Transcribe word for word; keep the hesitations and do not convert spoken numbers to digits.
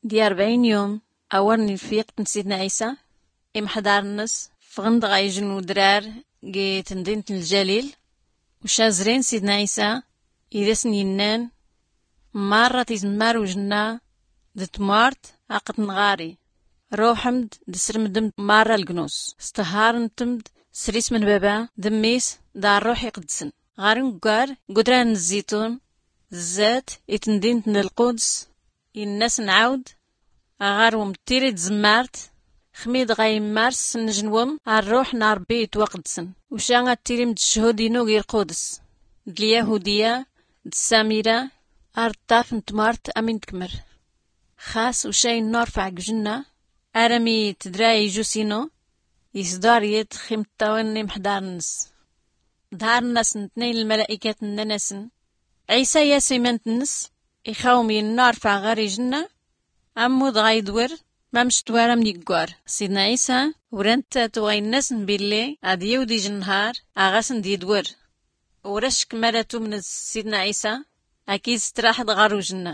Di arbɛin yum awar n-lfiqt n-sidna ɛisa, imḥḍar-nnes ffɣn-d ɣa ijn n-udrar g-tndint n-ljalil. Uca zrin sidna ɛisa id-asn-innan, marra tizmmar ujnna d-tmart aqd-nɣari, ruḥm-d d-srmdm-d marra lgnus, stharntm-d s-rism n-baba d-mmis d-arruḥ iqdsn. Ɣar unggar g-udrar n-zzitun, zzat i-tndint n-lquds, inna-sn ɛawd, aɣarwm d-tiri tzimmart, xmi-d ɣa immars s-nnjnwm arruḥ n-arbbi itwaqdsn. Uca ad-tirim d-cchud-inu g-irquds, d-lyahudiya d-ssamira, ar-ṭṭaf n-tmart am-in-tkmr. Xas uca inna urfeɛ g-ujnna, armi tdra ijus-inu, isḍar yat x-imṭṭawn n-imḥḍar-nnes. Ḍharn-asn tnayn lmala'ikat, nnan-asn, ɛisa yas iman-nnes, ixawm inna urfeɛ ɣar ijnna, ammud ɣa idwr, mamc twar am-n-iggwar. Sidna ɛisa ur-ant-atuɣ, inna-asn billi ad-yawd ijnhar aɣ-asn-d-idwr. Ur-ackm ara tumnd s-sidna ɛisa, akid straḥd ɣar ujnna.